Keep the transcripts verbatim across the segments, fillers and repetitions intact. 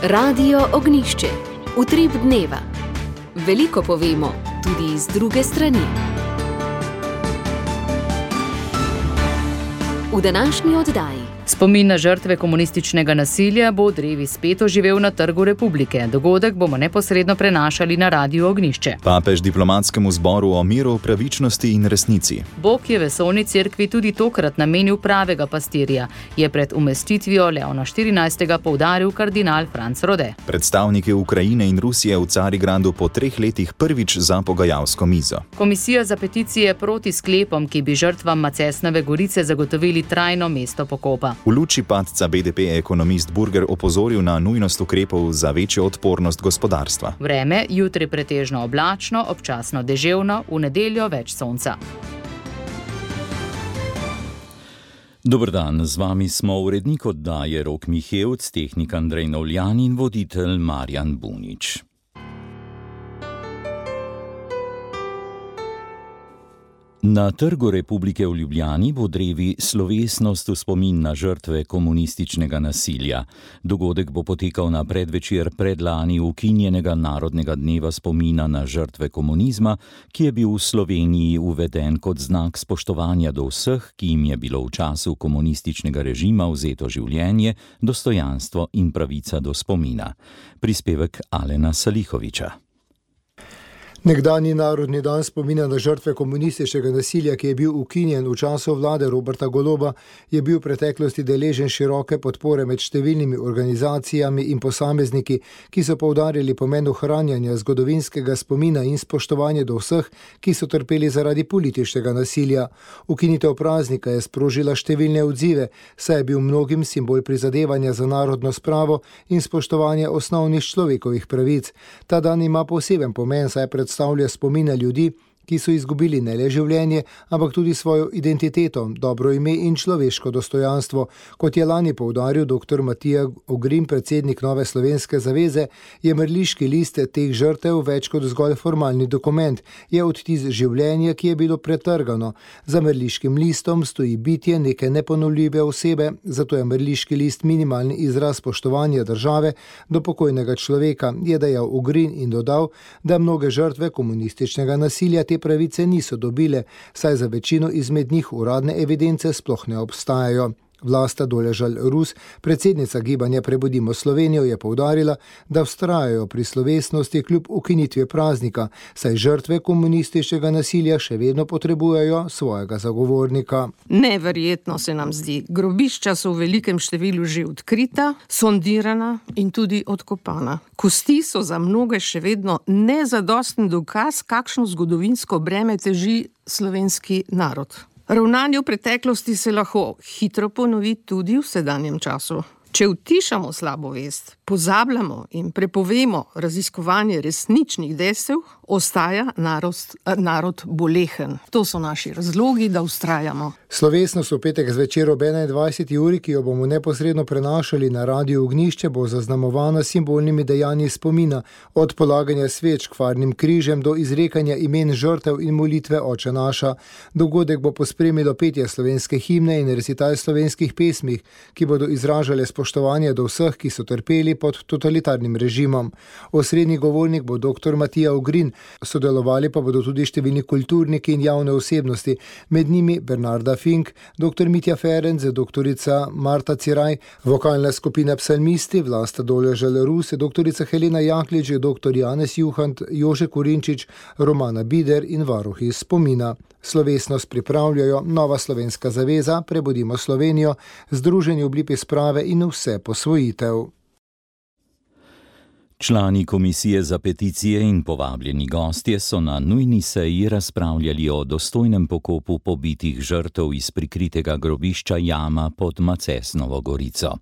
Radio Ognjišče. Utrip dneva. Veliko povemo, tudi iz druge strani. V današnji oddaji. Spomin na žrtve komunističnega nasilja bo drevi spet oživel na Trgu Republike. Dogodek bomo neposredno prenašali na Radio Ognjišče. Papež diplomatskemu zboru o miru, pravičnosti in resnici. Bog je vesoljni cerkvi tudi tokrat namenil pravega pastirja, je pred umestitvijo Leona štirinajstega poudaril kardinal Franc Rode. Predstavniki Ukrajine in Rusije v Carigradu po treh letih prvič za pogajalsko mizo. Komisija za peticije proti sklepom, ki bi žrtvam Macesnove Gorice zagotovili trajno mesto pokopa. V luči padca B D P je ekonomist Burger opozoril na nujnost ukrepov za večjo odpornost gospodarstva. Vreme, jutri pretežno oblačno, občasno deževno, v nedeljo več sonca. Dober dan, z vami smo urednik oddaje Rok Mihevc, tehnik Andrej Novljan in voditelj Marjan Bunič. Na Trgu Republike v Ljubljani bo drevi slovesnost v spomin na žrtve komunističnega nasilja. Dogodek bo potekal na predvečer predlani ukinjenega Narodnega dneva spomina na žrtve komunizma, ki je bil v Sloveniji uveden kot znak spoštovanja do vseh, ki jim je bilo v času komunističnega režima vzeto življenje, dostojanstvo in pravica do spomina. Prispevek Alena Salihoviča. Nekdanji Narodni dan spomina na žrtve komunističnega nasilja, ki je bil ukinjen v času vlade Roberta Goloba, je bil v preteklosti deležen široke podpore med številnimi organizacijami in posamezniki, ki so poudarili pomen ohranjanja zgodovinskega spomina in spoštovanja do vseh, ki so trpeli zaradi političnega nasilja. Ukinitev praznika je sprožila številne odzive, saj je bil mnogim simbol prizadevanja za narodno spravo in spoštovanje osnovnih človekovih pravic. Ta dan ima poseben pomen, saj predstavlja predstavlja spomine ljudi, ki so izgubili ne le življenje, ampak tudi svojo identiteto, dobro ime in človeško dostojanstvo. Kot je lani poudaril dr. Matija Ogrin, predsednik Nove slovenske zaveze, je mrliški list teh žrtev več kot zgolj formalni dokument, je odtis življenja, ki je bilo pretrgano. Za mrliškim listom stoji bitje neke neponovljive osebe, zato je mrliški list minimalni izraz spoštovanja države do pokojnega človeka, je dejal Ogrin in dodal, da mnoge žrtve komunističnega nasilja te pravice niso dobile, saj za večino izmed njih uradne evidence sploh ne obstajajo. Vlasta Doležal Rus, predsednica gibanja Prebudimo Slovenijo, je poudarila, da vztrajajo pri slovesnosti kljub ukinitvi praznika, saj žrtve komunističnega nasilja še vedno potrebujejo svojega zagovornika. Neverjetno se nam zdi. Grobišča so v velikem številu že odkrita, sondirana in tudi odkopana. Kosti so za mnoge še vedno nezadosten dokaz, kakšno zgodovinsko breme teži slovenski narod. Ravnanje v preteklosti se lahko hitro ponovi tudi v sedanjem času. Če utišamo slabo vest, pozabljamo in prepovemo raziskovanje resničnih dejstev, ostaja narod, narod bolehen. To so naši razlogi, da vztrajamo. Slovesnost v petek zvečer ob enaindvajseti uri, ki jo bomo neposredno prenašali na Radio Ognjišče, bo zaznamovana simbolnimi dejanji spomina, od polaganja sveč k farnim križem do izrekanja imen žrtev in molitve Oče naša. Dogodek bo pospremilo petje slovenske himne in recital slovenskih pesmih, ki bodo izražale spoštovanje do vseh, ki so trpeli pod totalitarnim režimom. Osrednji govornik bo dr. Matija Ogrin, sodelovali pa bodo tudi številni kulturniki in javne osebnosti, med njimi Bernarda Fink, dr. Mitja Ferenc, doktorica Marta Ciraj, vokalna skupina Psalmisti, Vlasta Doležal Rus, doktorica Helena Jaklič, dr. Janez Juhant, Jože Kurinčič, Romana Bider in varuhi spomina. Slovesnost pripravljajo Nova slovenska zaveza, Prebudimo Slovenijo, Združenje Oblipi sprave in Vse posvojitev. Člani komisije za peticije in povabljeni gostje so na nujni seji razpravljali o dostojnem pokopu pobitih žrtev iz prikritega grobišča Jama pod Macesnovo Gorico.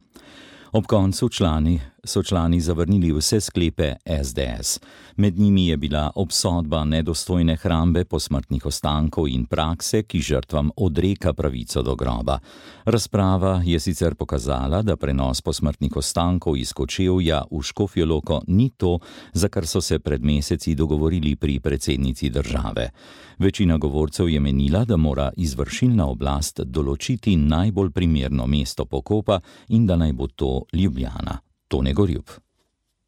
Ob koncu člani so člani zavrnili vse sklepe S D S. Med njimi je bila obsodba nedostojne hrambe posmrtnih ostankov in prakse, ki žrtvam odreka pravico do groba. Razprava je sicer pokazala, da prenos posmrtnih ostankov iz Kočevja v Škofjo Loko ni to, za kar so se pred meseci dogovorili pri predsednici države. Večina govorcev je menila, da mora izvršilna oblast določiti najbolj primerno mesto pokopa in da naj bo to Ljubljana. Tone Gorjup.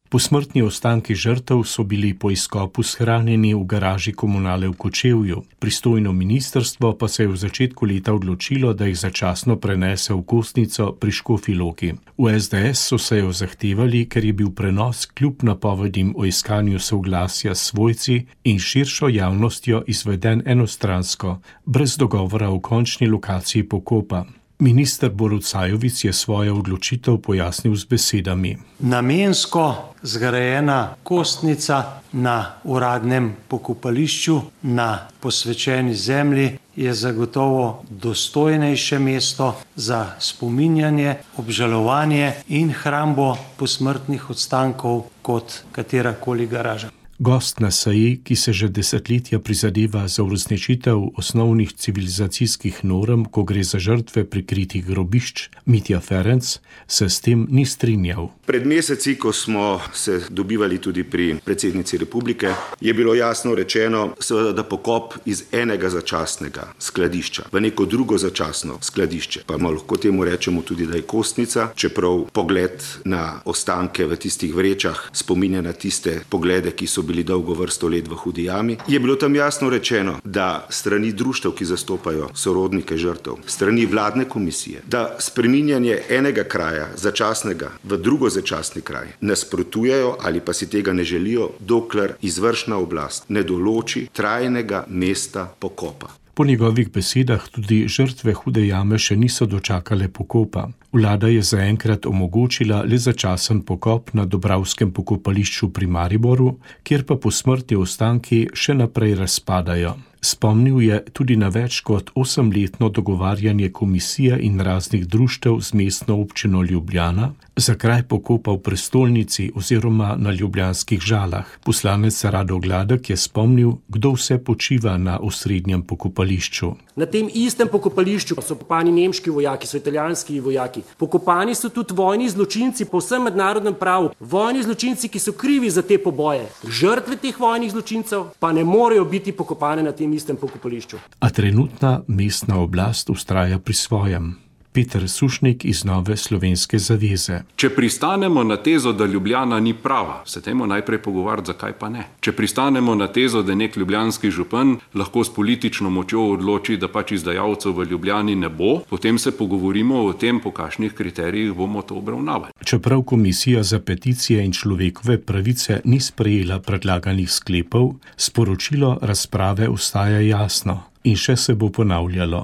Posmrtni ostanki žrtev so bili po izkopu shranjeni v garaži komunale v Kočevju. Pristojno ministrstvo pa se je v začetku leta odločilo, da jih začasno prenese v Kostnico pri Škofji Loki. V es de es so se jo zahtevali, ker je bil prenos kljub napovedim o iskanju soglasja s svojci in širšo javnostjo izveden enostransko, brez dogovora o končni lokaciji pokopa. Minister Borut Sajovic je svojo odločitev pojasnil z besedami. Namensko zgrajena kostnica na uradnem pokopališču na posvečeni zemlji je zagotovo dostojnejše mesto za spominjanje, obžalovanje in hrambo posmrtnih ostankov kot katerakoli garaža. Gost na seji, ki se že desetletja prizadeva za uresničitev osnovnih civilizacijskih norm, ko gre za žrtve prikritih grobišč, Mitja Ferenc, se s tem ni strinjal. Pred meseci, ko smo se dobivali tudi pri predsednici republike, je bilo jasno rečeno, seveda, da pokop iz enega začasnega skladišča v neko drugo začasno skladišče, pa lahko temu rečemo tudi, da je Kostnica, čeprav pogled na ostanke v tistih vrečah spominja na tiste poglede, ki so bili dolgo vrsto let v hudi jami, je bilo tam jasno rečeno, da strani društev, ki zastopajo sorodnike žrtev, strani vladne komisije, da spreminjanje enega kraja začasnega v drugo začasni kraj nasprotujejo ali pa si tega ne želijo, dokler izvršna oblast ne določi trajnega mesta pokopa. Po njegovih besedah tudi žrtve hude jame še niso dočakale pokopa. Vlada je zaenkrat omogočila le začasen pokop na Dobravskem pokopališču pri Mariboru, kjer pa posmrtni ostanki še naprej razpadajo. Spomnil je tudi na več kot osemletno dogovarjanje komisije in raznih društev z mestno občino Ljubljana za kraj pokopa v prestolnici oziroma na ljubljanskih Žalah. Poslanec Rado Gladek je spomnil, kdo vse počiva na osrednjem pokopališču. Na tem istem pokopališču so pokopani nemški vojaki, so italijanski vojaki. Pokopani so tudi vojni zločinci po vsem mednarodnem pravu. Vojni zločinci, ki so krivi za te poboje. Žrtve teh vojnih zločincev pa ne morejo biti pokopane na tem istem pokopališču. A trenutna mestna oblast vztraja pri svojem. Peter Sušnik iz Nove slovenske zaveze. Če pristanemo na tezo, da Ljubljana ni prava, se temo najprej pogovarjati, zakaj pa ne. Če pristanemo na tezo, da nek ljubljanski župan lahko s politično močjo odloči, da pač izdajalcev v Ljubljani ne bo, potem se pogovorimo o tem, po kakšnih kriterijih bomo to obravnavali. Čeprav Komisija za peticije in človekove pravice ni sprejela predlaganih sklepov, sporočilo razprave ostaja jasno in še se bo ponavljalo.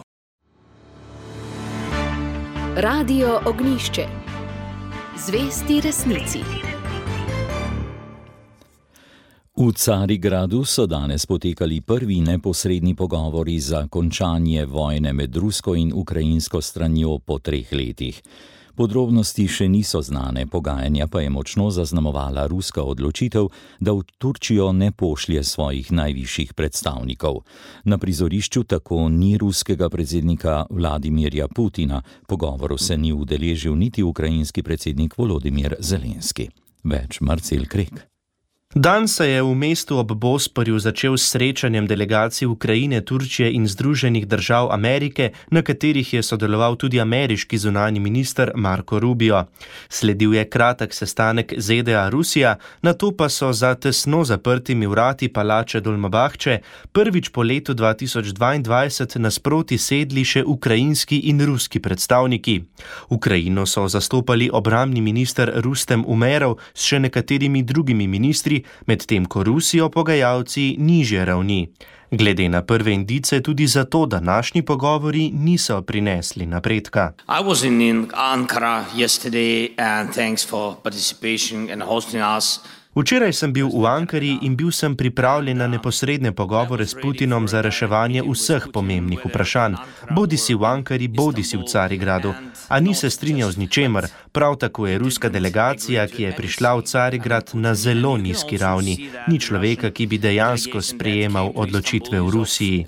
Radio Ognjišče. Zvesti resnici. V Carigradu so danes potekali prvi neposredni pogovori za končanje vojne med rusko in ukrajinsko stranjo po treh letih. Podrobnosti še niso znane, pogajanja pa je močno zaznamovala ruska odločitev, da v Turčijo ne pošlje svojih najvišjih predstavnikov. Na prizorišču tako ni ruskega predsednika Vladimirja Putina, pogovoru se ni udeležil niti ukrajinski predsednik Volodimir Zelenski. Več Marcel Krek. Dan se je v mestu ob Bosporju začel s srečanjem delegacij Ukrajine, Turčije in Združenih držav Amerike, na katerih je sodeloval tudi ameriški zunanji minister Marco Rubio. Sledil je kratek sestanek Z D A Rusija, nato pa so za tesno zaprtimi vrati palače Dolmabahče prvič po letu dva tisoč dvaindvajset nasproti sedli še ukrajinski in ruski predstavniki. Ukrajino so zastopali obrambni minister Rustem Umerov s še nekaterimi drugimi ministri, medtem ko Rusijo pogajalci nižje ravni. Glede na prve indice tudi zato današnji pogovori niso prinesli napredka. I was in Ankara yesterday and thanks for participation and hosting us. Včeraj sem bil v Ankari in bil sem pripravljen na neposredne pogovore s Putinom za reševanje vseh pomembnih vprašanj, bodi si v Ankari, bodi si v Carigradu. A ni se strinjal z ničemer, prav tako je ruska delegacija, ki je prišla v Carigrad na zelo nizki ravni, ni človeka, ki bi dejansko sprejemal odločitve v Rusiji.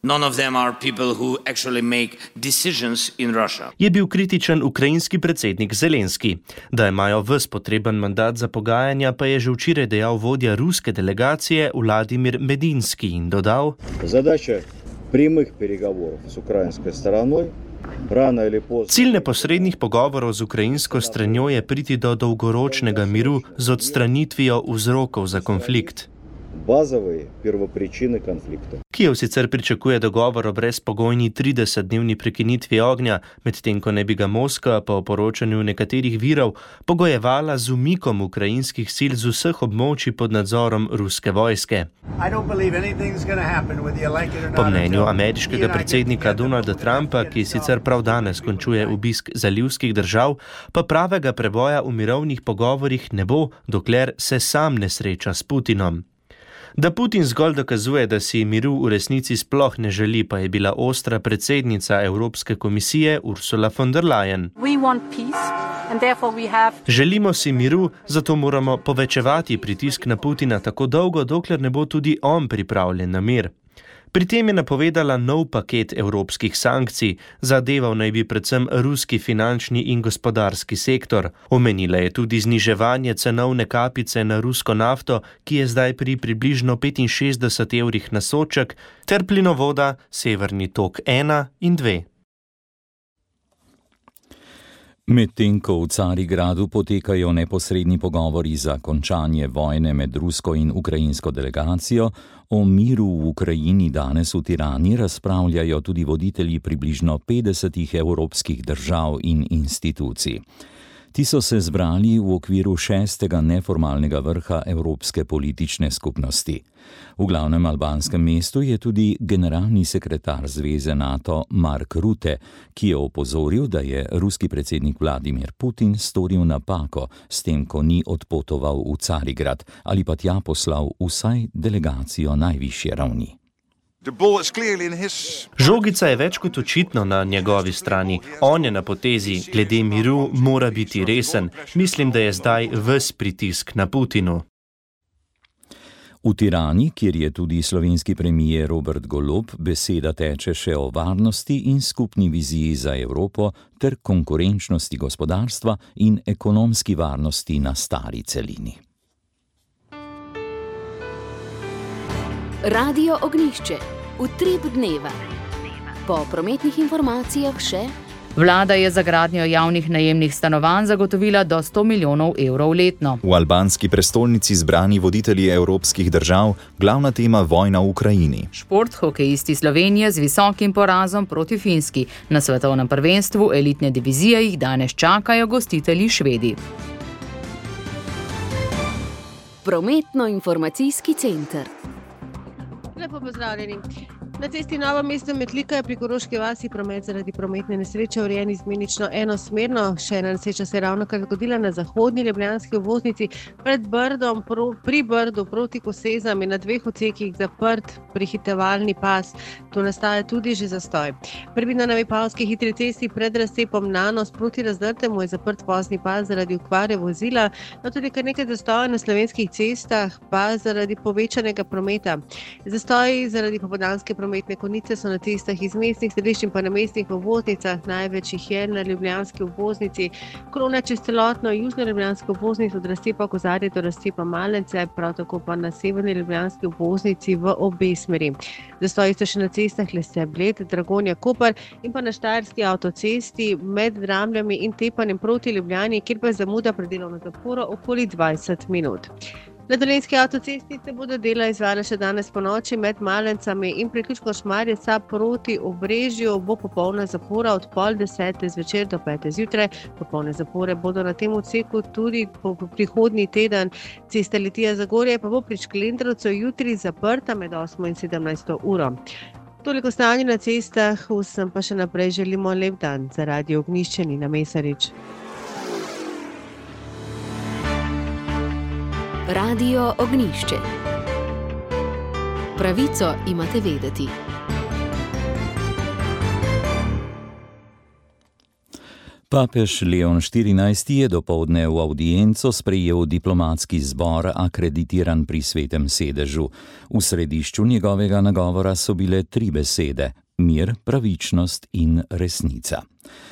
None of them are people who actually make decisions in Russia. Je bil kritičen ukrajinski predsednik Zelenski. Da imajo ves potreben mandat za pogajanja, pa je že včeraj dejal vodja ruske delegacije Vladimir Medinski in dodal: Задача прямых переговоров с украинской стороной Cilj neposrednih pogovorov z ukrajinsko stranjo je priti do dolgoročnega miru z odstranitvijo vzrokov za konflikt. Kijev sicer pričakuje dogovor o brezpogojni tridesetdnevni prekinitvi ognja, medtem ko ne bi ga Moskva po poročanju nekaterih virov pogojevala z umikom ukrajinskih sil z vseh območij pod nadzorom ruske vojske. Po mnenju ameriškega predsednika Donalda Trumpa, ki sicer prav danes končuje obisk zalivskih držav, pa pravega preboja v mirovnih pogovorih ne bo, dokler se sam ne sreča s Putinom. Da Putin zgolj dokazuje, da si miru v resnici sploh ne želi, pa je bila ostra predsednica Evropske komisije Ursula von der Leyen. Želimo si miru, zato moramo povečevati pritisk na Putina tako dolgo, dokler ne bo tudi on pripravljen na mir. Pri tem je napovedala nov paket evropskih sankcij, zadeval naj bi predvsem ruski finančni in gospodarski sektor. Omenila je tudi zniževanje cenovne kapice na rusko nafto, ki je zdaj pri približno petinšestdeset evrih na sodček, ter plinovoda Severni tok ena in dve. Medtem ko v Carigradu potekajo neposredni pogovori za končanje vojne med rusko in ukrajinsko delegacijo, o miru v Ukrajini danes v Tirani razpravljajo tudi voditelji približno petdesetih evropskih držav in institucij. Ti so se zbrali v okviru šestega neformalnega vrha Evropske politične skupnosti. V glavnem albanskem mestu je tudi generalni sekretar Zveze NATO Mark Rutte, ki je opozoril, da je ruski predsednik Vladimir Putin storil napako s tem, ko ni odpotoval v Carigrad ali pa tja poslal vsaj delegacijo najvišje ravni. Žogica je več kot očitno na njegovi strani. On je na potezi, glede miru mora biti resen. Mislim, da je zdaj ves pritisk na Putinu. V Tirani, kjer je tudi slovenski premier Robert Golob, beseda teče še o varnosti in skupni viziji za Evropo ter konkurenčnosti gospodarstva in ekonomski varnosti na stari celini. Radio Ognjišče. Utrip dneva. Po prometnih informacijah še: Vlada je za gradnjo javnih najemnih stanovanj zagotovila do sto milijonov evrov letno. V albanski prestolnici zbrani voditelji evropskih držav, glavna tema vojna v Ukrajini. Šport, hokejisti Slovenije z visokim porazom proti Finski. Na svetovnem prvenstvu elitne divizije jih danes čakajo gostitelji Švedi. Prometno-informacijski center. Lepo pozdravljeni. Na cesti Novo mesto Metlika je pri Koroški vasi promet zaradi prometne nesreče urejen izmenično enosmerno. Še ena nesreča se je ravnokar zgodila na zahodni ljubljanski obvoznici pred Brdom, pro, pri Brdu proti Kosezam in na dveh odsekih zaprt prehitevalni pas. To nastaja tudi že zastoj. Prvi na Vipavski hitri cesti pred razcepom Nanos proti Razdrtemu je zaprt vozni pas zaradi okvare vozila, no tudi kar nekaj zastojev na slovenskih cestah pa zaradi povečanega prometa. Zastoji zaradi popoldanske prometne konice so na cestah iz mestnih središč in pa na mestnih obvoznicah. Največ jih je na ljubljanski obvoznici. Krona čez celotno južno ljubljansko obvoznico od razcepa Kozarje do razcepa Malence, prav tako pa na severni ljubljanski obvoznici v obe smeri. Zastoji so še na cestah Lese Bled, Dragonja Koper in pa na Štajerski avtocesti med Dramljami in Tepanjem proti Ljubljani, kjer pa je zamuda pred delovno zaporo okoli dvajset minut. Na Dolenjski avtocesti se bodo dela izvajala še danes ponoči med Malencami in priključkom Šmarje proti Obrežju bo popolna zapora od pol desete zvečer do pete zjutraj. Popolne zapore bodo na tem odseku tudi po prihodnji teden. Cesta Litija Zagorje pa bo pri Šklendrovcu jutri zaprta med osmo in sedemnajsto uro. Toliko stanje na cestah, vsem pa še naprej želimo lep dan. Za Radio Ognjišče Nina Mesarič. Radio Ognjišče. Pravico imate vedeti. Papež Leon štirinajsti je dopoldne v avdienco sprejel diplomatski zbor akreditiran pri Svetem sedežu. V središču njegovega nagovora so bile tri besede: mir, pravičnost in resnica.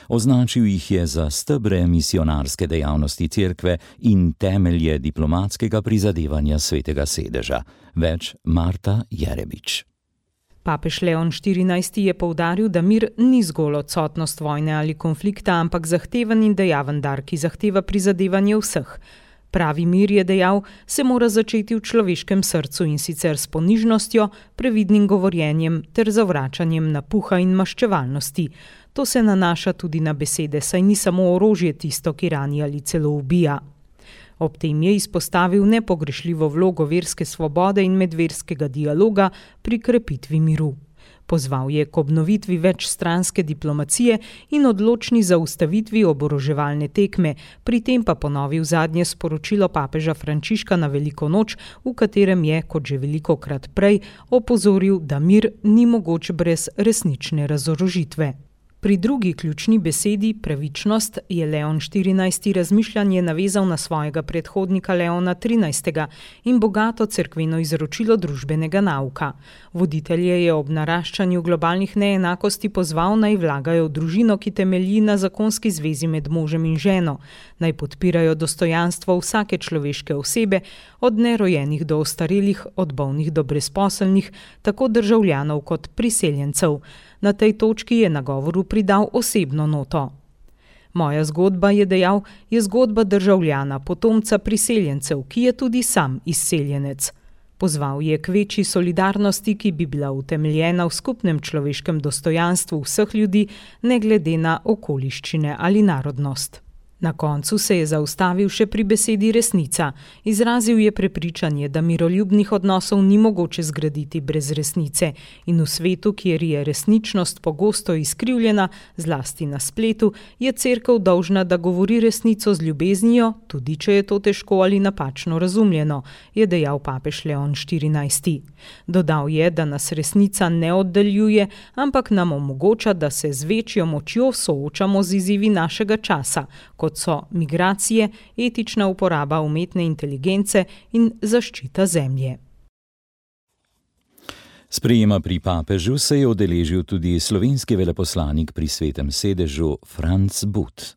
Označil jih je za stebre misionarske dejavnosti cerkve in temelje diplomatskega prizadevanja Svetega sedeža. Več Marta Jerebič. Papež Leon štirinajsti je poudaril, da mir ni zgolj odsotnost vojne ali konflikta, ampak zahteven in dejaven dar, ki zahteva prizadevanje vseh. Pravi mir, je dejal, se mora začeti v človeškem srcu in sicer s ponižnostjo, previdnim govorjenjem ter zavračanjem napuha in maščevalnosti. To se nanaša tudi na besede, saj ni samo orožje tisto, ki rani ali celo ubija. Ob tem je izpostavil nepogrešljivo vlogo verske svobode in medverskega dialoga pri krepitvi miru. Pozval je k obnovitvi večstranske diplomacije in odločni zaustavitvi oboroževalne tekme, pri tem pa ponovil zadnje sporočilo papeža Frančiška na Veliko noč, v katerem je, kot že velikokrat prej, opozoril, da mir ni mogoč brez resnične razorožitve. Pri drugi ključni besedi, pravičnost, je Leon štirinajsti razmišljanje navezal na svojega predhodnika Leona trinajstega in bogato cerkveno izročilo družbenega nauka. Voditelje je ob naraščanju globalnih neenakosti pozval, naj vlagajo v družino, ki temelji na zakonski zvezi med možem in ženo, naj podpirajo dostojanstvo vsake človeške osebe, od nerojenih do ostarelih, od bolnih do brezposelnih, tako državljanov kot priseljencev. Na tej točki je nagovoru pridal osebno noto. Moja zgodba, je dejal, je zgodba državljana, potomca priseljencev, ki je tudi sam izseljenec. Pozval je k večji solidarnosti, ki bi bila utemeljena v skupnem človeškem dostojanstvu vseh ljudi, ne glede na okoliščine ali narodnost. Na koncu se je zaustavil še pri besedi resnica. Izrazil je prepričanje, da miroljubnih odnosov ni mogoče zgraditi brez resnice in v svetu, kjer je resničnost pogosto izkrivljena, zlasti na spletu, je cerkev dolžna, da govori resnico z ljubeznijo, tudi če je to težko ali napačno razumljeno, je dejal papež Leon štirinajsti. Dodal je, da nas resnica ne oddaljuje, ampak nam omogoča, da se z večjo močjo soočamo z izzivi našega časa, kot so migracije, etična uporaba umetne inteligence in zaščita zemlje. Sprejema pri papežu se je udeležil tudi slovenski veleposlanik pri Svetem sedežu Franc But.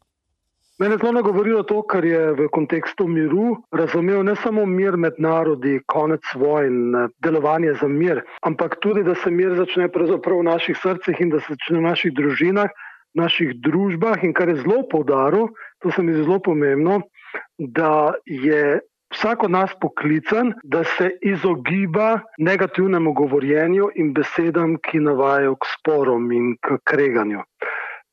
Mene zelo nagovorilo to, kar je v kontekstu miru razumel ne samo mir med narodi, konec vojn, delovanje za mir, ampak tudi, da se mir začne pravzaprav v naših srcih in da se začne v naših družinah, v naših družbah in kar je zelo poudaril, to se mi zdi zelo pomembno, da je vsak od nas poklican, da se izogiba negativnemu govorjenju in besedam, ki navajajo k sporom in k kreganju.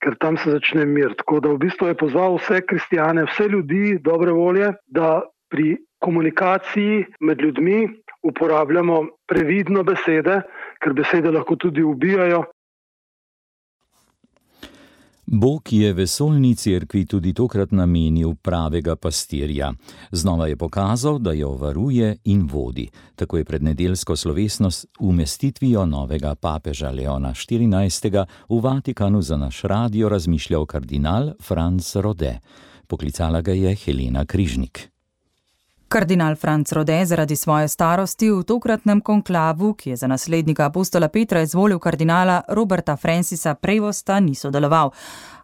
Ker tam se začne mir. Tako da v bistvu je pozval vse kristjane, vse ljudi dobre volje, da pri komunikaciji med ljudmi uporabljamo previdno besede, ker besede lahko tudi ubijajo. Bog je vesoljni cerkvi tudi tokrat namenil pravega pastirja. Znova je pokazal, da jo varuje in vodi. Tako je pred nedeljsko slovesnost umestitvijo novega papeža Leona štirinajstega v Vatikanu za naš radio razmišljal kardinal Franc Rode. Poklicala ga je Helena Križnik. Kardinal Franc Rode zaradi svoje starosti v tokratnem konklavu, ki je za naslednika apostola Petra izvolil kardinala Roberta Francisa Prevosta, ni sodeloval,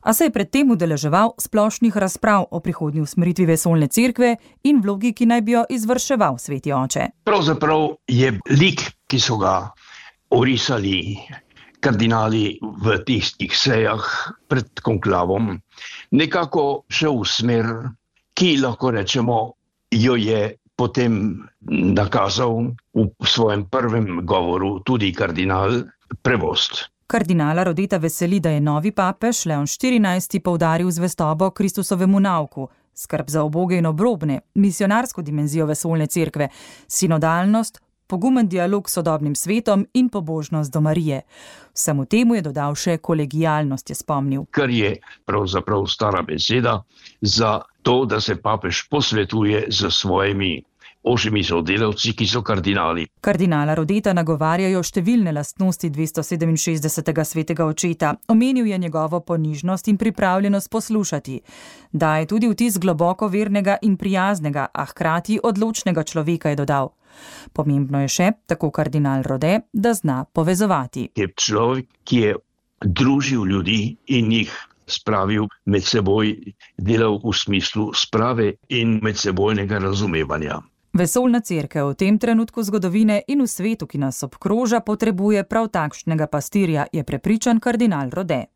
a se je predtem udeleževal splošnih razprav o prihodnji usmeritvi vesoljne cerkve in vlogi, ki naj bi jo izvrševal sveti oče. Pravzaprav je lik, ki so ga orisali kardinali v tistih sejah pred konklavom, nekako šel v smer, ki lahko rečemo, jo je potem nakazal v svojem prvem govoru tudi kardinal Prevost. Kardinala Rodeta veseli, da je novi papež Leon štirinajsti poudaril zvestobo Kristusovemu nauku, skrb za uboge in obrobne, misionarsko dimenzijo vesoljne cerkve, sinodalnost, pogumen dialog s sodobnim svetom in pobožnost do Marije. Vsemu temu je dodal še kolegialnost, je spomnil. Kar je pravzaprav stara beseda za to, da se papež posvetuje z svojimi ožjimi sodelavci, ki so kardinali. Kardinala Rodeta nagovarjajo številne lastnosti dvestosedeminšestdesetega svetega očeta. Omenil je njegovo ponižnost in pripravljenost poslušati. Daje tudi vtis globoko vernega in prijaznega, a hkrati odločnega človeka, je dodal. Pomembno je še, tako kardinal Rode, da zna povezovati. Je človek, ki je družil ljudi in jih spravil med seboj, delal v smislu sprave in medsebojnega razumevanja. Vesoljna cerkev v tem trenutku zgodovine in v svetu, ki nas obkroža, potrebuje prav takšnega pastirja, je prepričan kardinal Rode.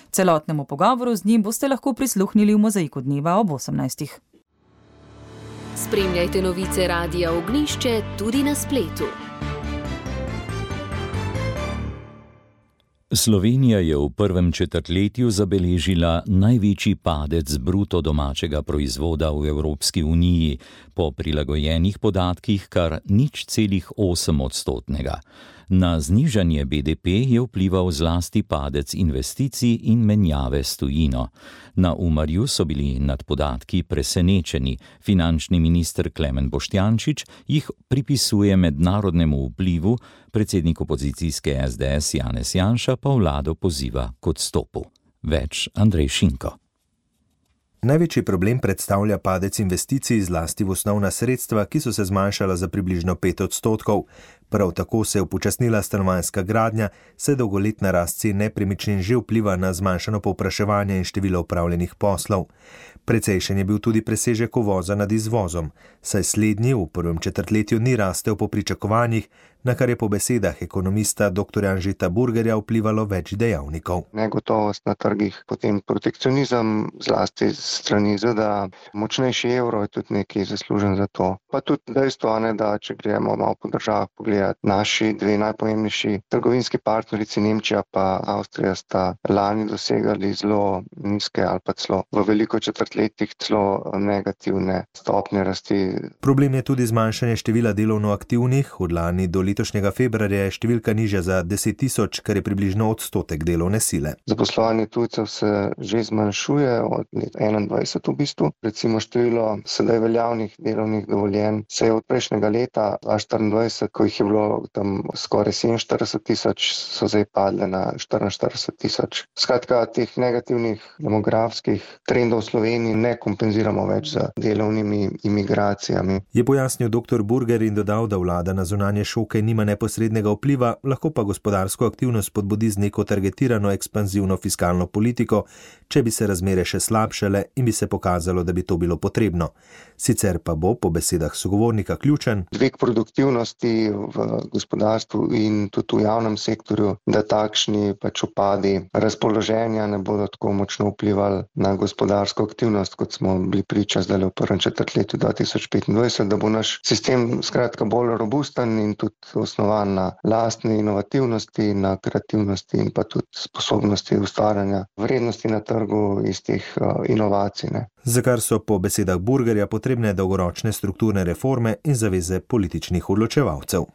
Celotnemu pogovoru z njim boste lahko prisluhnili v Mozaiku dneva ob osemnajstih. Spremljajte novice Radia Ognjišče tudi na spletu. Slovenija je v prvem četrtletju zabeležila največji padec bruto domačega proizvoda v Evropski uniji, po prilagojenih podatkih kar nič celih osem odstotnega. Na znižanje B D P je vplival zlasti padec investicij in menjave s tujino. Na Umarju so bili nad podatki presenečeni. Finančni minister Klemen Boštjančič jih pripisuje mednarodnemu vplivu, predsednik opozicijske S D S Janez Janša pa vlado poziva k odstopu. Več Andrej Šinko. Največji problem predstavlja padec investicij zlasti v osnovna sredstva, ki so se zmanjšala za približno pet odstotkov. Prav tako se je upočasnila stanovanjska gradnja, saj dolgoletna rast cen nepremičnin že vpliva na zmanjšano povpraševanje in število opravljenih poslov. Precejšen je bil tudi presežek uvoza nad izvozom, saj slednji v prvem četrtletju ni rastel po pričakovanjih, na kar je po besedah ekonomista dr. Anžeta Burgerja vplivalo več dejavnikov. Negotovost na trgih, potem protekcionizem, zlasti strani Z D A, močnejši evro je tudi nekaj zaslužen za to. Pa tudi dejstvo, ne, da če gremo malo po državah pogledati, naši dve najpomembnejši trgovinski partnerici Nemčija pa Avstrija sta lani dosegali zelo nizke ali pa celo v veliko četrtletjih celo negativne stopnje rasti. Problem je tudi zmanjšanje števila delovno aktivnih. Od lani do letošnjega februarja je številka nižja za deset tisoč, kar je približno odstotek delovne sile. Zaposlovanje tujcev se že zmanjšuje od leta enaindvajset v bistvu. Recimo število sedaj veljavnih delovnih dovoljenj se je od prejšnjega leta dva tisoč štiriindvajset, ko jih je bilo tam skoraj sedeminštirideset tisoč, so zdaj padle na štiriinštirideset tisoč. Skratka, teh negativnih demografskih trendov v Sloveniji ne kompenziramo več z delovnimi imigracijami. Je pojasnil dr. Burger in dodal, da vlada na zunanje šoke nima neposrednega vpliva, lahko pa gospodarsko aktivnost spodbudi z neko targetirano ekspanzivno fiskalno politiko, če bi se razmere še slabšale in bi se pokazalo, da bi to bilo potrebno. Sicer pa bo, po besedah sogovornika, ključen dvig produktivnosti v gospodarstvu in tudi v javnem sektorju, da takšni pač upadi razpoloženja ne bodo tako močno vplivali na gospodarsko aktivnost, kot smo bili priča zdaj v prvem četrtletju dva tisoč petindvajset, da bo naš sistem skratka bolj robusten in tudi osnovan na lastni inovativnosti, na kreativnosti in pa tudi sposobnosti ustvarjanja vrednosti na trgu iz teh uh, inovacij. Ne. Za kar so po besedah Burgerja potrebne dolgoročne strukturne reforme in zaveze političnih odločevalcev.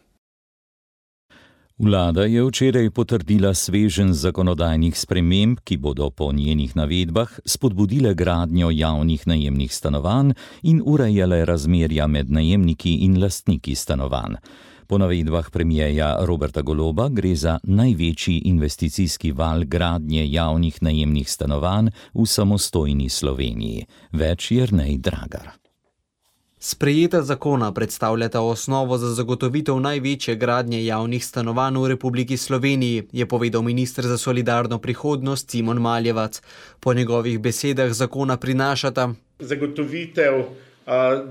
Vlada je včeraj potrdila sveženj zakonodajnih sprememb, ki bodo po njenih navedbah spodbudile gradnjo javnih najemnih stanovanj in urejale razmerja med najemniki in lastniki stanovanj. Po navedbah premierja Roberta Goloba gre za največji investicijski val gradnje javnih najemnih stanovanj v samostojni Sloveniji. Več Jernej Dragar. Sprejeta zakona predstavljata osnovo za zagotovitev največje gradnje javnih stanovanj v Republiki Sloveniji, je povedal minister za solidarno prihodnost Simon Maljevac. Po njegovih besedah zakona prinašata zagotovitev uh,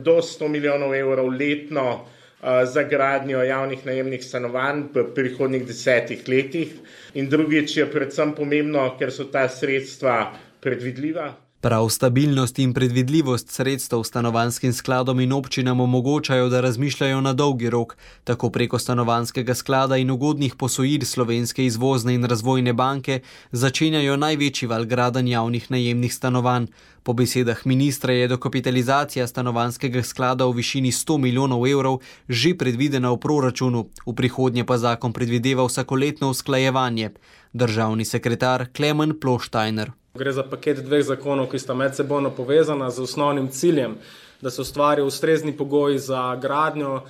do sto milijonov evrov letno uh, za gradnjo javnih najemnih stanovanj v prihodnjih desetih letih. In drugič je predvsem pomembno, ker so ta sredstva predvidljiva. Prav stabilnost in predvidljivost sredstev stanovanjskim skladom in občinam omogočajo, da razmišljajo na dolgi rok. Tako preko stanovanjskega sklada in ugodnih posojil Slovenske izvozne in razvojne banke začenjajo največji val gradenj javnih najemnih stanovanj. Po besedah ministra je dokapitalizacija stanovanjskega sklada v višini sto milijonov evrov že predvidena v proračunu, v prihodnje pa zakon predvideva vsakoletno usklajevanje. Državni sekretar Klemen Ploštajner. Gre za paket dveh zakonov, ki sta medsebojno povezana z osnovnim ciljem, da se ustvari ustrezni pogoji za gradnjo,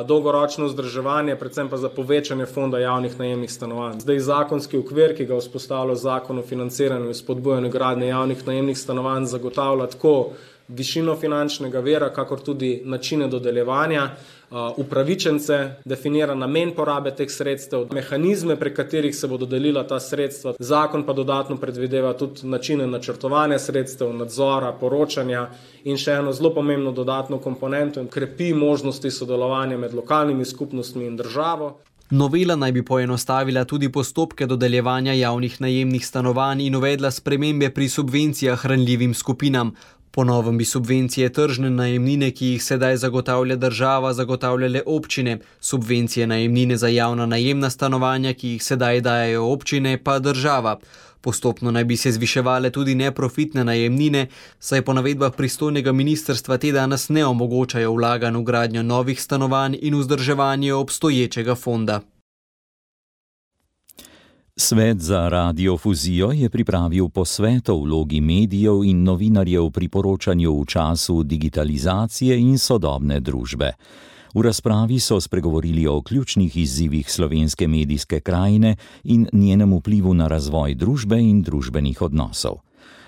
dolgoročno vzdrževanje, predvsem pa za povečanje fonda javnih najemnih stanovanj. Zdaj zakonski okvir, ki ga vzpostavlja zakon o financiranju in spodbujanju gradnje javnih najemnih stanovanj, zagotavlja tako višino finančnega vira, kakor tudi načine dodeljevanja, upravičence, definira namen porabe teh sredstev, mehanizme, prek katerih se bo dodelila ta sredstva. Zakon pa dodatno predvideva tudi načine načrtovanja sredstev, nadzora, poročanja in še eno zelo pomembno dodatno komponento, krepi možnosti sodelovanja med lokalnimi skupnostmi in državo. Novela naj bi poenostavila tudi postopke dodeljevanja javnih najemnih stanovanj in uvedla spremembe pri subvencijah ranljivim skupinam. Po novem bi subvencije tržne najemnine, ki jih sedaj zagotavlja država, zagotavljale občine, subvencije najemnine za javna najemna stanovanja, ki jih sedaj dajejo občine, pa država. Postopno naj bi se zviševale tudi neprofitne najemnine, saj po navedbah pristojnega ministrstva te danes ne omogočajo vlaganj v gradnjo novih stanovanj in vzdrževanje obstoječega fonda. Svet za radiofuzijo je pripravil posvet o vlogi medijev in novinarjev pri poročanju v času digitalizacije in sodobne družbe. V razpravi so spregovorili o ključnih izzivih slovenske medijske krajine in njenem vplivu na razvoj družbe in družbenih odnosov.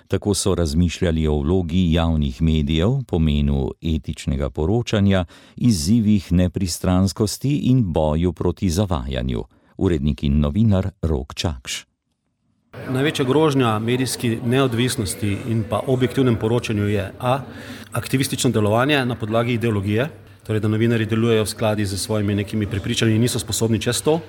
Tako so razmišljali o vlogi javnih medijev, pomenu etičnega poročanja, izzivih nepristranskosti in boju proti zavajanju. Urednik in novinar Rok Čakš. Največja grožnja medijski neodvisnosti in pa objektivnem poročanju je a. aktivistično delovanje na podlagi ideologije, torej da novinarji delujejo v skladi z svojimi nekimi prepričanji in niso sposobni čez to,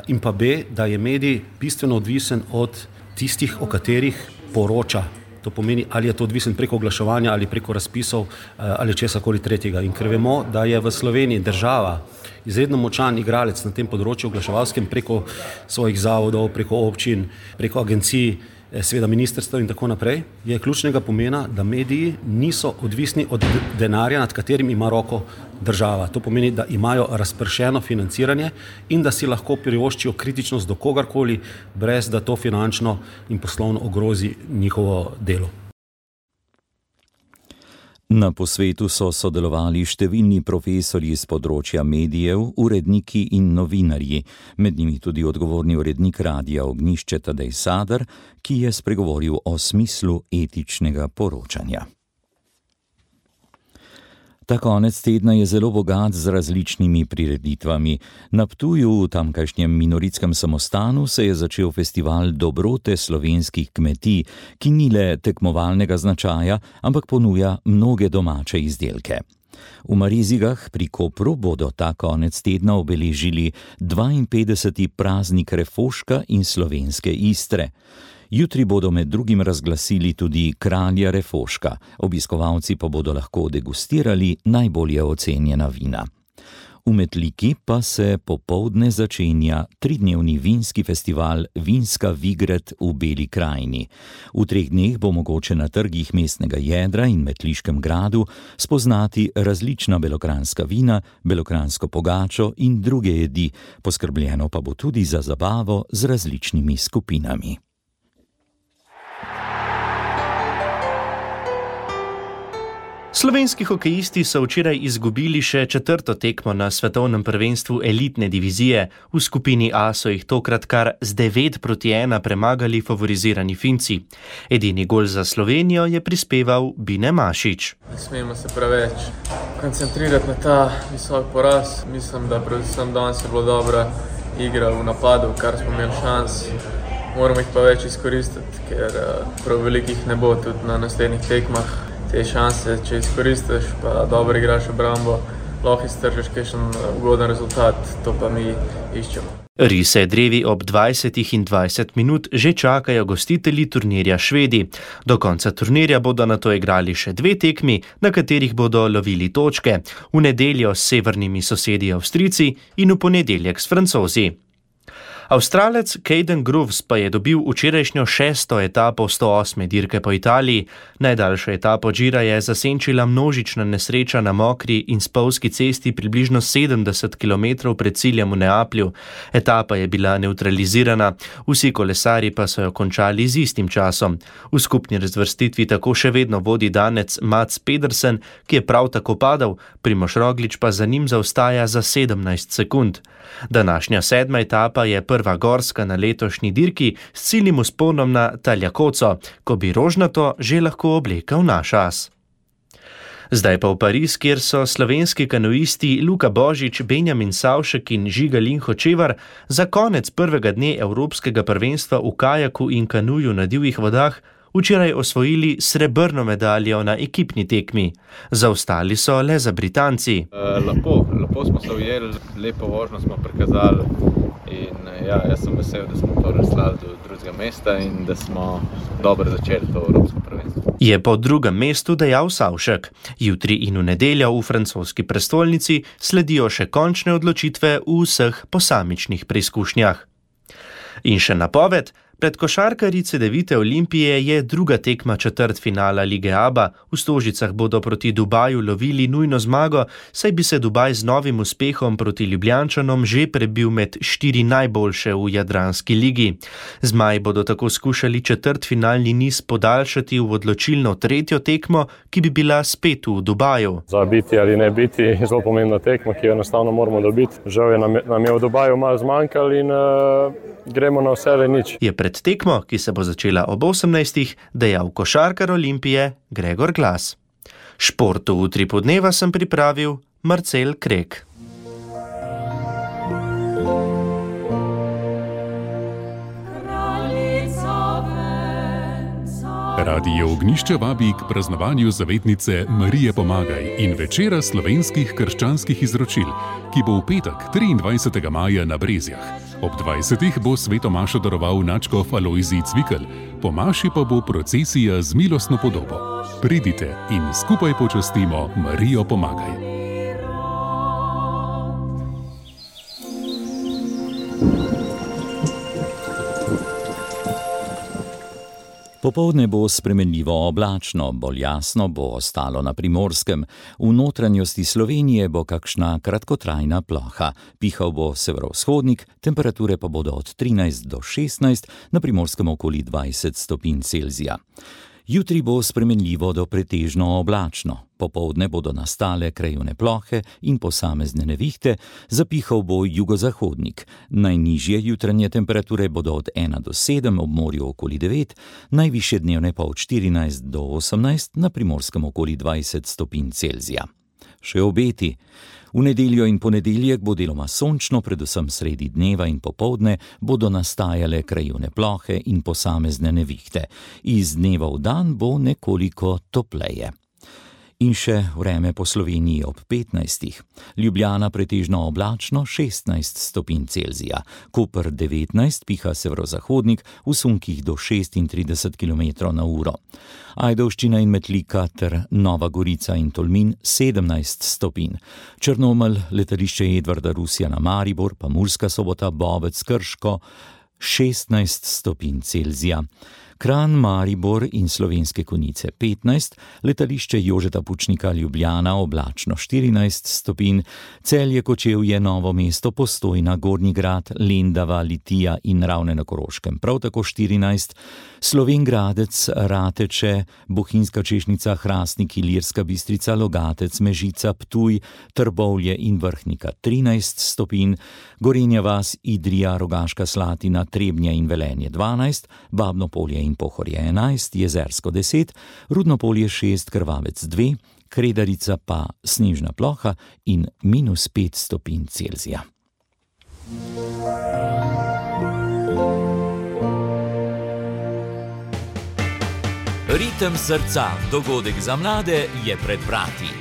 in pa b. da je medij bistveno odvisen od tistih, o katerih poroča. To pomeni, ali je to odvisen preko oglaševanja ali preko razpisov ali česakoli tretjega. In ker vemo, da je v Sloveniji država izredno močan igralec na tem področju oglaševalskem preko svojih zavodov, preko občin, preko agencij, seveda ministrstev in tako naprej, je ključnega pomena, da mediji niso odvisni od denarja, nad katerim ima roko država. To pomeni, da imajo razpršeno financiranje in da si lahko privoščijo kritičnost do kogarkoli, brez da to finančno in poslovno ogrozi njihovo delo. Na posvetu so sodelovali številni profesorji z področja medijev, uredniki in novinarji, med njimi tudi odgovorni urednik Radia Ognjišče Tadej Sadar, ki je spregovoril o smislu etičnega poročanja. Ta konec tedna je zelo bogat z različnimi prireditvami. Na Ptuju, v tamkajšnjem Minoritskem samostanu, se je začel festival dobrote slovenskih kmetij, ki ni le tekmovalnega značaja, ampak ponuja mnoge domače izdelke. V Marizigah pri Kopru bodo ta konec tedna obeležili dvainpetdeseti praznik refoška in slovenske Istre. Jutri bodo med drugim razglasili tudi kralja refoška, obiskovalci pa bodo lahko degustirali najbolje ocenjena vina. V Metliki pa se popoldne začenja tridnevni vinski festival Vinska Vigret v Beli krajini. V treh dneh bo mogoče na trgih mestnega jedra in Metliškem gradu spoznati različna belokranjska vina, belokranjsko pogačo in druge jedi, poskrbljeno pa bo tudi za zabavo z različnimi skupinami. Slovenski hokejisti so včeraj izgubili še četrto tekmo na svetovnem prvenstvu elitne divizije. V skupini A so jih tokrat kar z devet proti ena premagali favorizirani Finci. Edini gol za Slovenijo je prispeval Bine Mašič. Ne smemo se preveč koncentrirati na ta visok poraz. Mislim, da predvsem danes je bilo dobra igra v napadu, kar smo imeli šans. Moramo jih pa več izkoristiti, ker prav velikih ne bo tudi na naslednjih tekmah. Te šanse, če izkoristiš, pa dobro igraš obrambo, lahko iztržiš kakšen ugoden rezultat, to pa mi iščemo. Rise drevi ob dvajsetih in dvajset minut že čakajo gostitelji turnirja Švedi. Do konca turnirja bodo nato igrali še dve tekmi, na katerih bodo lovili točke. V nedeljo s severnimi sosedi Avstrijci in v ponedeljek s Francozi. Avstralec Caden Groves pa je dobil včerajšnjo šesto etapo sto osme dirke po Italiji. Najdaljšo etapo Gira je zasenčila množična nesreča na mokri in spolzki cesti približno sedemdeset kilometrov pred ciljem v Neaplju. Etapa je bila nevtralizirana, vsi kolesarji pa so jo končali z istim časom. V skupni razvrstitvi tako še vedno vodi Danec Mats Pedersen, ki je prav tako padal, Primož Roglič pa za njim zaostaja za sedemnajst sekund. Današnja sedma etapa je prva gorska na letošnji dirki s ciljnim vzponom na Taljakoco, ko bi rožnato že lahko oblekal naš as. Zdaj pa v Pariz, kjer so slovenski kanuisti Luka Božič, Benjamin Savšek in Žiga Linhočevar za konec prvega dne Evropskega prvenstva v kajaku in kanuju na divjih vodah včeraj osvojili srebrno medaljo na ekipni tekmi. Zaostali so le za Britanci. Uh, lepo, lepo smo se ujeli, lepo vožnjo smo prikazali in ja, jaz sem vesel, da smo to razslali do drugega mesta in da smo dobro začeli to Evropsko prvenstvo. Je po drugem mestu dejal Savšek. Jutri in v nedeljo v francoski prestolnici sledijo še končne odločitve v vseh posamičnih preizkušnjah. In še napoved. Pred košarkarji Cedevite Olimpije je druga tekma četrtfinala Lige Aba. V Stožicah bodo proti Dubaju lovili nujno zmago, saj bi se Dubaj z novim uspehom proti Ljubljančanom že prebil med štiri najboljše v Jadranski ligi. Zmaji bodo tako skušali četrtfinalni niz podaljšati v odločilno tretjo tekmo, ki bi bila spet v Dubaju. Za biti ali ne biti zelo pomembna tekma, ki jo enostavno moramo dobiti. Žal je nam, nam je v Dubaju malo zmanjkalo in uh, gremo na vse ali nič. Je pred tekmo, ki se bo začela ob osemnajstih, dejal košarkar Olimpije Gregor Glas. Športu v utripu dneva sem pripravil Marcel Krek. Radio Ognjišče vabi k praznovanju zavetnice Marije Pomagaj in večera slovenskih krščanskih izročil, ki bo v petek triindvajsetega maja na Brezjah. Ob dvajsetih bo sveto mašo daroval nadškof Alojzij Cvikl, po maši pa bo procesija z milostno podobo. Pridite in skupaj počastimo Marijo Pomagaj. Popoldne bo spremenljivo oblačno, bolj jasno bo ostalo na Primorskem. V notranjosti Slovenije bo kakšna kratkotrajna ploha. Pihal bo severovzhodnik, temperature pa bodo od trinajst do šestnajst, na Primorskem okoli dvajset stopinj Celzija. Jutri bo spremenljivo do pretežno oblačno. Popoldne bodo nastale krajevne plohe in posamezne nevihte, zapihal bo jugozahodnik. Najnižje jutranje temperature bodo od ena do sedem, ob morju okoli devet, najvišje dnevne pa od štirinajst do osemnajst, na Primorskem okoli dvajset stopinj Celzija. Še obeti. V nedeljo in ponedeljek bo deloma sončno, predvsem sredi dneva in popoldne bodo nastajale krajevne plohe in posamezne nevihte. Iz dneva v dan bo nekoliko topleje. In še vreme po Sloveniji ob petnajstih. Ljubljana pretežno oblačno, šestnajst stopinj Celzija. Koper devetnajst, piha severozahodnik, v sunkih do šestintrideset kilometrov na uro. Ajdovščina in Metlika ter Nova Gorica in Tolmin sedemnajst stopinj. Črnomelj, letališče Edvarda Rusija na Maribor, pa Murska Sobota, Bovec, Krško šestnajst stopinj Celzija. Kranj, Maribor in Slovenske Konjice petnajst, letališče Jožeta Pučnika Ljubljana oblačno štirinajst stopinj, Celje, Kočevje, Novo mesto, Postojna, Gornji Grad, Lendava, Litija in Ravne na Koroškem prav tako štirinajst, Slovenj Gradec, Rateče, Bohinjska Češnica, Hrastnik, Ilirska Bistrica, Logatec, Mežica, Ptuj, Trbovlje in Vrhnika trinajst stopinj, Gorenja vas, Idrija, Rogaška Slatina, Trebnje in Velenje dvanajst, Babno Polje in Pohorje enajst, Jezersko deset, Rudno Polje šest, Krvavec dve, Kredarica pa snežna ploha in minus pet stopinj Celzija. Ritem srca, dogodek za mlade je pred vrati.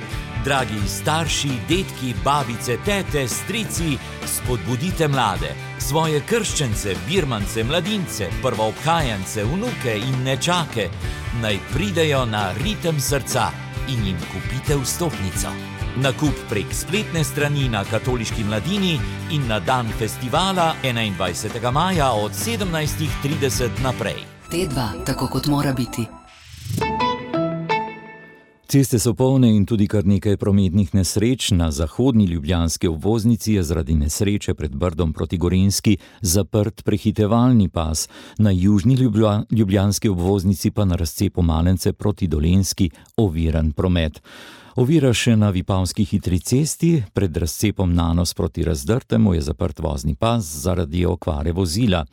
Dragi starši, detki, babice, tete, strici, spodbudite mlade, svoje krščence, birmance, mladince, prvoobhajance, vnuke in nečake, naj pridejo na Ritem srca in jim kupite vstopnico. Nakup prek spletne strani na Katoliški mladini in na dan festivala enaindvajsetega maja od sedemnajst trideset naprej. T dva, tako kot mora biti. Ceste so polne in tudi kar nekaj prometnih nesreč. Na zahodni ljubljanski obvoznici je zaradi nesreče pred Brdom proti Gorenjski zaprt prehitevalni pas, na južni ljubljanski obvoznici pa na razcepu Malence proti Dolenjski oviran promet. Ovira še na Vipavski hitri cesti, pred razcepom Nanos proti Razdrtemu je zaprt vozni pas zaradi okvare vozila.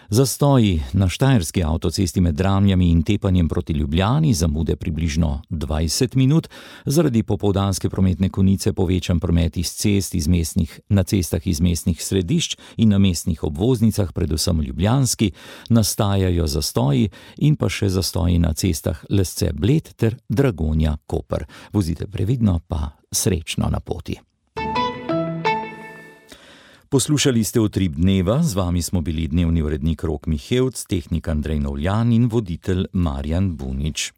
Zastoji na štajerski avtocesti med Dramljami in tepanjem proti Ljubljani, zamude približno dvajset minut, zaradi popoldanske prometne konice povečan promet iz cest iz mestnih, na cestah iz mestnih središč in na mestnih obvoznicah, predvsem ljubljanski, nastajajo zastoji in pa še zastoji na cestah Lesce-Bled ter Dragonja-Koper. Vozite previdno, pa srečno na poti. Poslušali ste Utrip dneva, z vami smo bili dnevni urednik Rok Mihevc, tehnik Andrej Novljan in voditelj Marjan Bunič.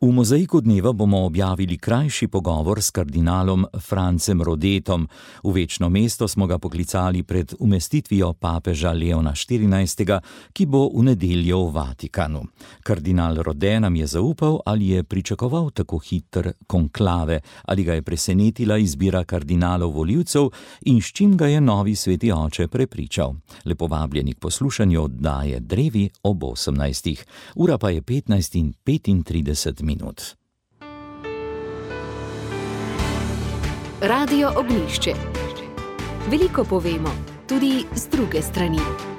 V mozaiku dneva bomo objavili krajši pogovor s kardinalom Francem Rodetom. V večno mesto smo ga poklicali pred umestitvijo papeža Leona štirinajstega, ki bo v nedeljo v Vatikanu. Kardinal Rode nam je zaupal, ali je pričakoval tako hiter konklave, ali ga je presenetila izbira kardinalov volivcev in s čim ga je novi sveti oče prepričal. Lepo vabljeni k poslušanju oddaje Drevi ob osemnajstih. Ura pa je petnajst in petintrideset minut. Minut. Radio Ognjišče. Veliko povemo, tudi z druge strani.